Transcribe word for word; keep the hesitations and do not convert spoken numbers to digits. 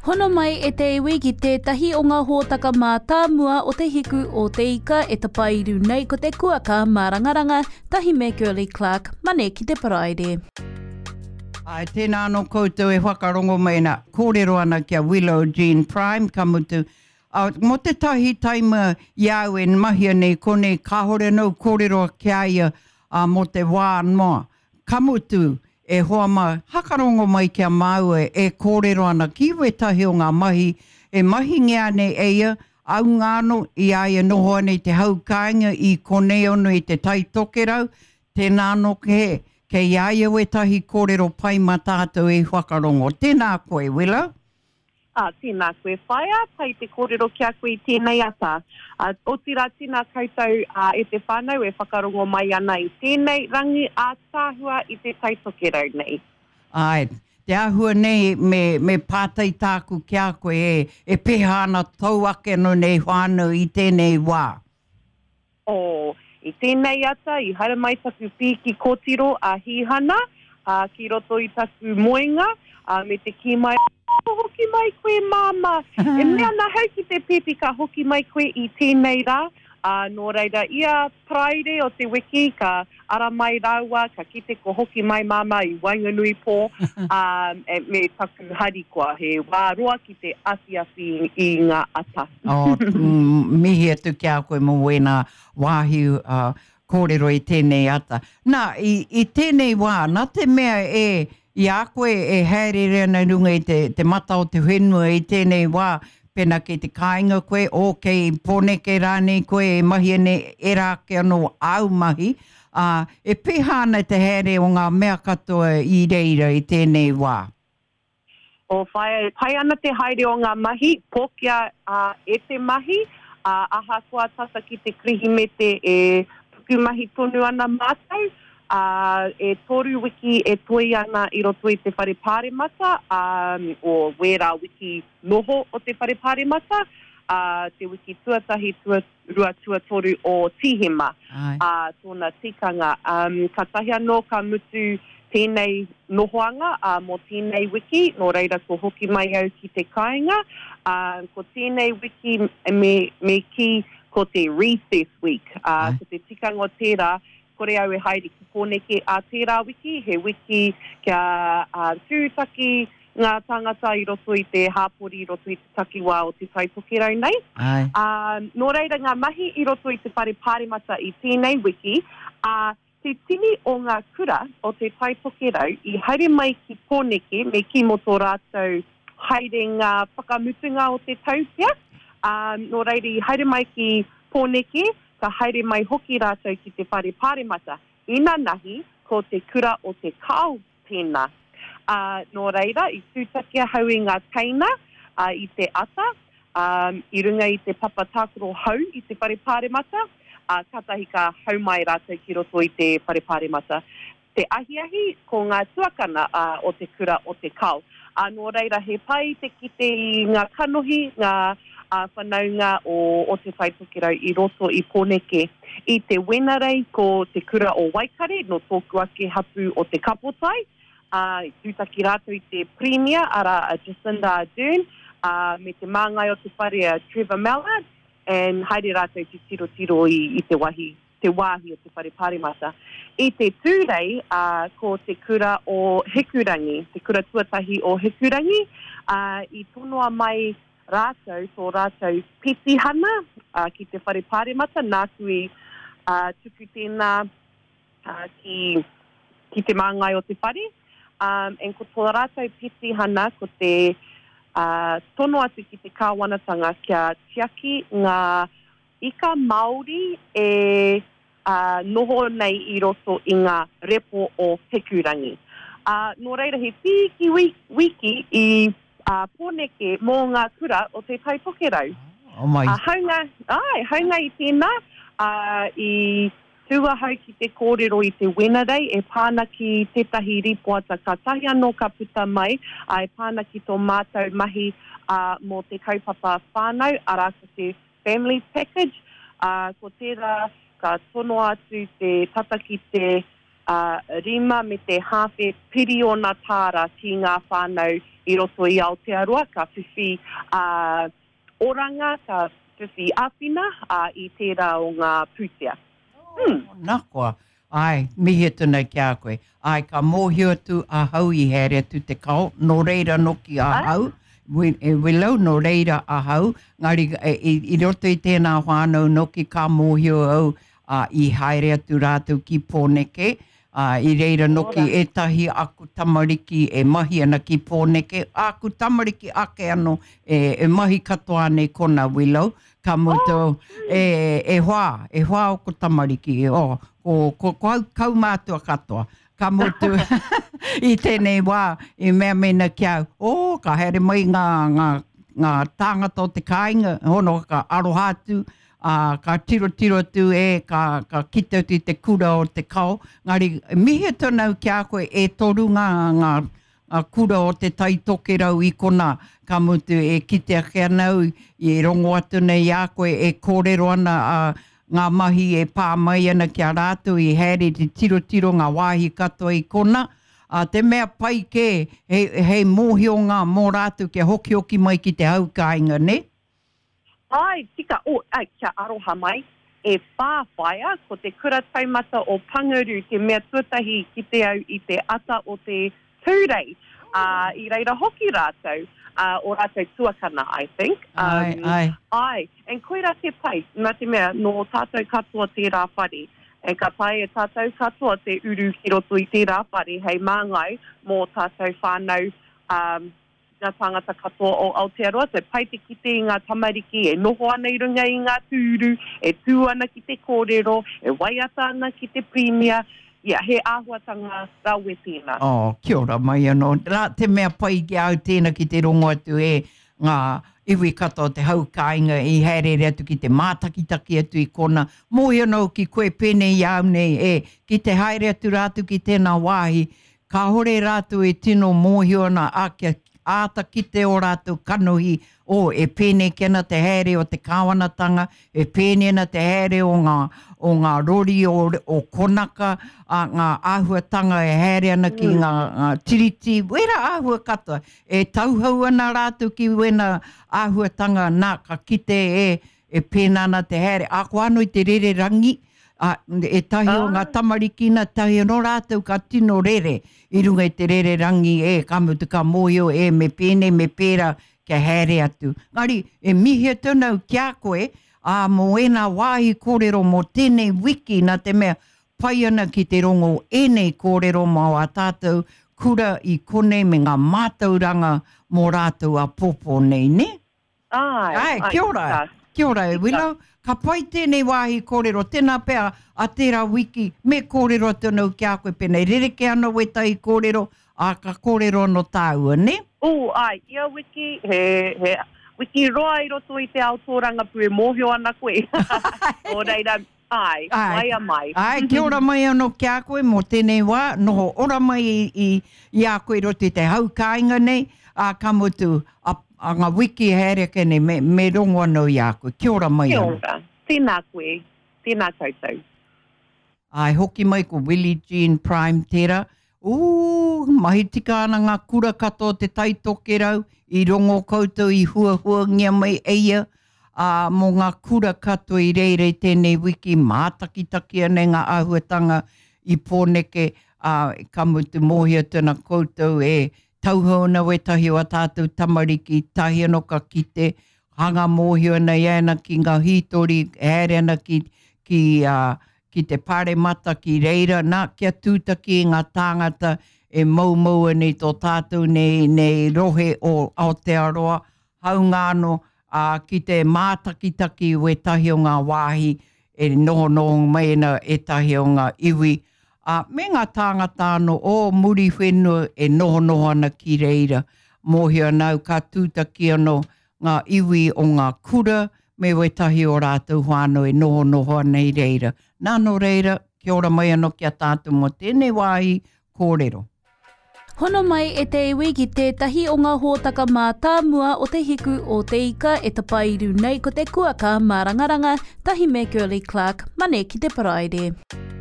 Hono mai e te iwi ki tētahi o ngā hōtaka mātāmua o te hiku o te ika e tapairu nei ko te kuaka mārangaranga tahi me Girlie Clark, Mane ki te Paraire. Ai, tēnā anō koutou e whakarongo mai ana, kōrero ana ki a Willow Jean Prime, ka mutu, uh, mō te tahi taima i a au e mahia nei konei, kāhore anō kōrero ki a ia uh, mō te wā noa. Ka mutu, e hoa mā, hakarongo mai ki a māua e kōrero ana ki wētahi o ngā mahi e mahingia nei e ia, aunga anō i a ia noho ana i te hau kāinga i konei ono i te Tai Tokerau, tēnā anō ke, kei a ia wētahi kōrero pai mā tātou e whakarongo. Tēnā koe, Willow. Ā, tēnā koe, whaea, pai te kōrero ki a koe i tēnei ata. Ā, otirā tēnā koutou ā, e te whānau e whakarongo mai ana i tēnei rangi ātaahua i te Tai Tokerau nei. Āe, te āhua nei me, me pātai tāku ki a koe e, e pēhea ana tōu ake anō nei whānau i tēnei wā? Oh, i tēnei ata i haere mai taku pīki kōtiro a Hīhana, ā, ki roto i taku moenga, ā, me te kī mai, Ka hoki mai koe, Māmā. E mea ana ahau ki te pēpi ka hoki mai koe i tēnei rā, ā, nō reira, ia Paraire o te wiki ka ara mai rāua, ka kite ko hoki mai Māmā i waenganui pō, ā, me taku harikoa, he wā roa ki te awhiawhi i ngā ata. Oh, mihi atu ki a koe mō wēnā wāhi kōrero i tēnei ata. Nā, i, i tēnei wā, nā te mea e, i a koe e hāereere ana i runga i te, te mata o te whenua i tēnei wā, pēnā kei te kāinga koe, o kei Pōneke rānei koe e mahia nei ērā ake anō āu mahi, ā, e pēhea ana te haere o ngā mea katoa i reira i tēnei wā? O whaea, e pai ana te haere o ngā mahi, pōkia e te mahi, ā, ahakoa tata ki te Kirihimete e pukumahi tonu ana mātou, ā, e toru wiki e toe ana i roto i te Whare Pāremata, ā, o wērā wiki noho o te Whare Pāremata, ā, te wiki tuatahi, tuarua, tuatoru o Tīhema, ā, tōna tikanga. Ā, kātahi anō ka mutu tēnei nohoanga, ā, mō tēnei wiki, nō reira ko hoki mai au ki te kāinga, ā, ko tēnei wiki me, me kī ko te recess week, ā, ko te tikanga o tērā, kore au e haere ki Pōneke ā tērā wiki, he wiki kia tūtaki ngā tāngata i roto i te hāpori, i roto i te takiwā o Te Tai Tokerau nei. Ā, nō reira ngā mahi i roto i te whare pāremata i tēnei wiki, ā, te tini o ngā kura o Te Tai Tokerau i haere mai ki Pōneke me kī mō tō rātou haerenga whakamutunga o te tau pea, ā, nō reira i haere mai ki Pōneke, ka haere mai hoki rātou ki te whare pāremata. Inanahi, ko te kura o Te Kao tēnā. Ā, nō reira, i tūtaki ahau i ngā teina, ā, i te ata, ā, i runga i te papa tākaro hou i te whare pāremata, ā, kātahi ka hau mai rātou ki roto i te whare pāremata. Te ahiahi, ko ngā tuakana o te kura o Te Kao. Ā, nō reira, he pai te kite i ngā kanohi, ngā whanaunga o Te Tai Tokerau i roto i Pōneke. I te Wenerei, ko te kura o Waikare, nō tōku ake hapū o Te Kapotai, ā, i tūtaki rātou i te Pirimia, arā, a Jacinda Ardern, ā, me te māngai o te whare a Trevor Mallard, and haere rātou te tirotiro i, i te wahi te wāhi o te whare pāremata. I te Tūrei, ā, ko te kura o Hikurangi, te kura tuatahi o Hikurangi, ā, i tonoa mai rātou tō rātou petihana, ā, ki te whare pāremata, nāku i, ā, tuku tēnā, ā, ki, ki te māngai o te whare. Ā, and ko tō rātou petihana ko te, ā, tono atu ki te kāwanatanga kia tiaki ngā Ika Māori e noho nei i roto i ngā repo o Hikurangi. Ā, nō reira he pīki wiki i Pōneke mō ngā kura o Te Tai Tokerau. Oh my. Ā, haunga, āe, haunga i tēnā, ā, i tū ahau ki te kōrero i te Wenerei e pā ana ki tētahi rīpoata kātahi anō ka puta mai, ā, e pā ana ki tō mātou mahi, ā, mō te kaupapa whānau, arā, ko te Family Package, ā, ko tērā ka tonoa atu te tata ki te uh, rima me te hāwhe piriona tāra ki ngā whānau i roto i Aotearoa, ka whiwhi uh, oranga, ka whiwhi āwhina uh, i tērā o ngā pūtea. Hmm. Nā koa, ai, mihi atu nei ki a koe. Ai, ka mōhio atu ahau i haere atu te kao, nō reira noki ahau, e Willow, nō reira ahau, ngari e, i, i roto i tēnā whānau noki ka mōhio au uh, i haere atu rātou ki Pōneke, uh, i reira noki ētahi aku tamariki e mahi ana ki Pōneke, aku tamariki ake ano e, e mahi katoa nei kona Willow, ka mutu oh. e, e hoa, e hoa o ko tamariki, o, ko, ko, ko au kaumātua katoa. Ka mutu i tēnei wā, i mea mena ki au, oh, ka haere mai ngā, ngā, ngā tāngata o te kāinga, hono ka aroha atu, uh, ka tiro tiro atu e, ka, ka kite atu i te kura o te kao. Ngari, mihi atu nau ki a koe e toru ngā, ngā, ngā kura o te Tai Tokerau i kona, ka mutu e kite ake anau, i rongo atu nei a koe e kōrero ana uh, ngā mahi e pā mai ana ki a rātou i haere te tiro tiro ngā wāhi katoa i kona. Uh, te mea pai kē, hei, hei mōhio ngā mō rātou kia hoki hoki mai ki te hau kāinga, ne? Ai, tika, oh, ai, kia aroha mai, e whā whaia, ko te kura taumata o Pangaru, te mea tuatahi ki te au i te ata o te Tūrei. Uh, i reira hoki rātou, uh, o rātou tuakana, I think. Um, ai, ai. Ai, and koira te pai, nā te mea, nō tātou katoa tērā whare. And ka tae e tātou katoa te uru ki roto i tērā whare hei māngai mō tātou whānau um, ngā tāngata katoa o Aotearoa. So pai te kite i ngā tamariki e noho ana i runga i ngā tūru, e tū ana ki te kōrero, e waiata ana ki te Premier. Yeah, he āhuatanga rawe tēnā. Oh, kia ora mai anō. Rā, te mea pai ki au tēnā ki te rongo atu e ngā iwi katoa te hau kāinga i haerere atu ki te mātakitaki atu i kona. Mōhio anō ki koe pēnei i au nei e, ki te haere atu rātou ki tēnā wāhi, kāhore rātou e tino mōhio ana a kia āta kite o rātou kanohi, o e pēnei ki ana te haere o te kāwanatanga, e pēnei ana te haere o ngā, o ngā rori o, o Konaka, a ngā āhuatanga e haere ana ki ngā, ngā tiriti, wera āhua katoa, e tauhau ana rātou ki wena āhuatanga nā, ka kite e, e pēnā ana te haere. A ko anō i te rere rangi, a, e tahi o ngā tamariki na tahi anō rātou ka tino rere i runga i te rere rangi e, ka mutu ka mōhio e, me pēnei, me pērā, kia haere atu. Ngari, e mihi atu nau ki a koe, ā, mō ēnā wāhi kōrero mō tēnei wiki nā te mea pai ana ki te rongo ēnei kōrero mō a tātou kura i konei me ngā mātauranga mō rātou a pōpō nei, ne? Ai, Ai, kia ora. tika. Kia ora e Willow. Ka pai tēnei wāhi kōrero, tēnā pea a tērā wiki, me kōrero atu anō ki a koe pēnei. Rereke ana wētahi kōrero, a ka kōrero anō tāua, ne? Oh, ai, ia wiki, he, he wiki roa i roto i te ao tōrangapū e mōhio ana koe. Nō reira, ai, Ai. waia mai. Ai, kia ora mai anō ki a koe mō tēnei wā, noho ora mai i, i, i a koe i roto i te hau kāinga nei, a ka mutu, a, a ngā wiki haere ake nei, me, me rongo anō i a koe. Kia ora mai Kia anō. ora. Tēnā koe, tēnā koutou. Ai, hoki mai ko Willie Jean Prime tērā. Ū, mahi tika ana ngā kura katoa o te Tai Tokerau, i rongo koutou i huahuangia mai e ia, ā, mō ngā kura katoa i reira i tēnei wiki, mātakitaki ana i ngā āhuatanga i Pōneke, ā, ka mutu mōhio atu ana koutou e tauhou ana wētahi o a tātou tamariki, tahi anō ka kite, hanga mōhio ana i ana ki ngā hītori, haere ana ki, ki, uh, ki te paremata ki reira, nā, kia tūtaki i ngā tāngata e moumou ana i tō tātou nei, nei rohe o Aotearoa, haunga anō, ā, ki te mātakitaki wētahi o ngā wāhi e nohonoho mai ana ētahi o ngā iwi, ā, me ngā tāngata anō o muri whenua e nohonoho ana ki reira. Mōhio ana au ka tūtaki anō ngā iwi o ngā kura me wētahi o rātou whānau e nohonoho ana i reira. Nā nō reira, kia ora mai anō ki a tātou mō tēnei wāhi kōrero. Hono mai e te iwi ki tētahi o ngā hōtaka mātāmua o te hiku o te ika e tapairu nei ko te kuaka mārangaranga, tahi me Girlie Clark, Mane ki te Paraire.